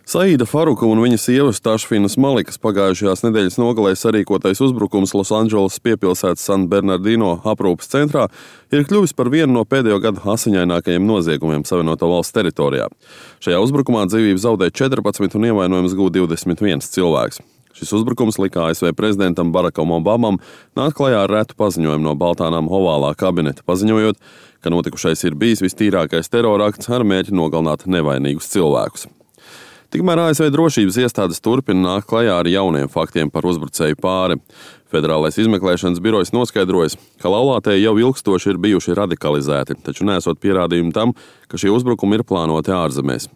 Saīda Faruka un viņa sievas Tašfinas Malikas pagājušajās nedēļas nogalē sarīkotais uzbrukums Losandželosas piepilsētas San Bernardino aprūpes centrā ir kļuvis par vienu no pēdējo gadu asiņainākajiem noziegumiem Savienoto Valstu teritorijā. Šajā uzbrukumā dzīvību zaudēja 14 un ievainojums gūta 21 cilvēks. Šis uzbrukums lika ASV prezidentam Barakam Obamam nākt klajā ar retu paziņojumu no Baltānām ovālā kabineta, paziņojot, ka notikušais ir bijis vistīrākais terorakts ar mērķi nogalināt nevainīgus cilvēkus. Tikmēr ASV drošības iestādes turpina nākt klajā ar jauniem faktiem par uzbrucēju pāri. Federālais izmeklēšanas birojs noskaidrojas, ka laulātie jau ilgstoši ir bijuši radikalizēti, taču nesot pierādījumu tam, ka šie uzbrukumi ir plānoti ārzemēs.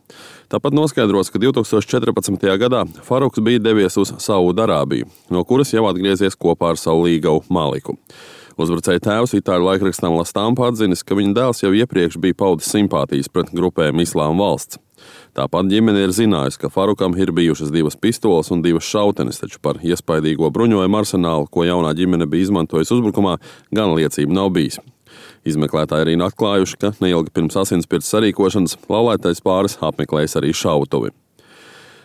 Tāpat noskaidrots, ka 2014. gadā Faruks bija devies uz Saudarābiju, no kuras jau atgriezies kopā ar savu līgavu Maliku. Uzbrucēja tēvs itāļu laikrakstam La Stampa atzinis, ka viņa dēls jau iepriekš bija paudis simpātijas pret grupējumu Islāma valsts. Tāpat ģimene ir zinājusi, ka Farukam ir bijušas 2 pistoles un 2 šautenes, taču par iespaidīgo bruņojumu arsenālu, ko jaunā ģimene bija izmantojusi uzbrukumā, gan liecība nav bijis. Izmeklētāji arī atklājuši, ka neilgi pirms asinspirts sarīkošanas laulātais pāris apmeklējis arī šautuvi.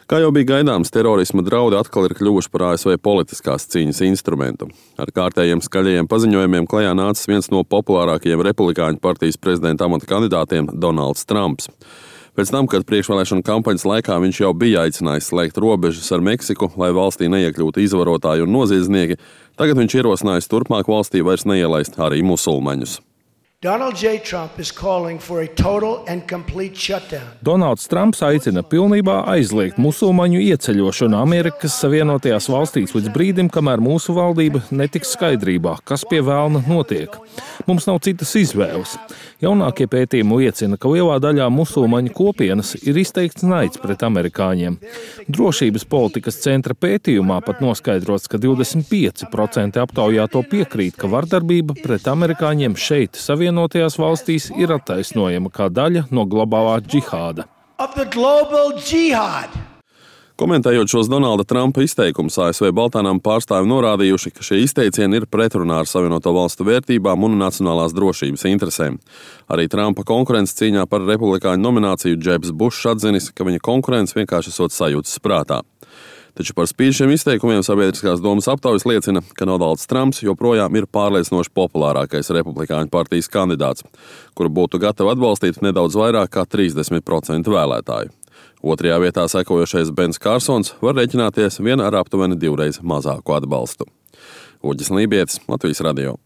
Kā jau bija gaidāms, terorisma draudi atkal ir kļuvuši par ASV politiskās cīņas instrumentu. Ar kārtējiem skaļajiem paziņojumiem klajā nācis viens no populārākajiem republikāņu partijas prezidenta amata kandidātiem – Donalds Trumps. Pēc tam, kad priekšvēlēšana kampaņas laikā viņš jau bija aicinājis slēgt robežas ar Meksiku, lai valstī neiekļūtu izvarotāji un noziedznieki, tagad viņš ierosinājis turpmāk valstī vairs neielaist arī musulmaņus. Donald J. Trump is calling for a total and complete shutdown. Donalds Trumps aicina pilnībā aizliegt musulmaņu ieceļošanu Amerikas Savienotajās valstīs līdz brīdim, kamēr mūsu valdība netiks skaidrībā, kas pie velna notiek. Mums nav citas izvēles. Jaunākie pētījumi liecina, ka lielā daļā musulmaņu kopienas ir izteikts naids pret amerikāņiem. Drošības politikas centra pētījumā pat noskaidrots, ka 25% aptaujāto piekrīt, ka vardarbība pret amerikāņiem šeit, Savienotajās valstīs, ir attaisnojama kā daļa no globālā džihāda. Komentējot šos Donalda Trumpa izteikumus, ASV Baltānām pārstāvi norādījuši, ka šie izteicieni ir pretrunā ar Savienoto Valstu vērtībām un nacionālās drošības interesēm. Arī Trumpa konkurences cīņā par republikāņu nomināciju Džebs Bušs atzinis, ka viņa konkurence vienkārši esot sajūtas prātā. Taču par spīti šiem izteikumiem sabiedriskās domas aptaujas liecina, ka Donalds Trumps joprojām ir pārliecinoši populārākais republikāņu partijas kandidāts, kuru būtu gatavi atbalstīt nedaudz vairāk kā 30% vēlētāju. Otrajā vietā sekojošais Bens Kārsons var rēķināties vien ar aptuveni 2 reiz mazāku atbalstu. Uģis Lībietis, Latvijas radio.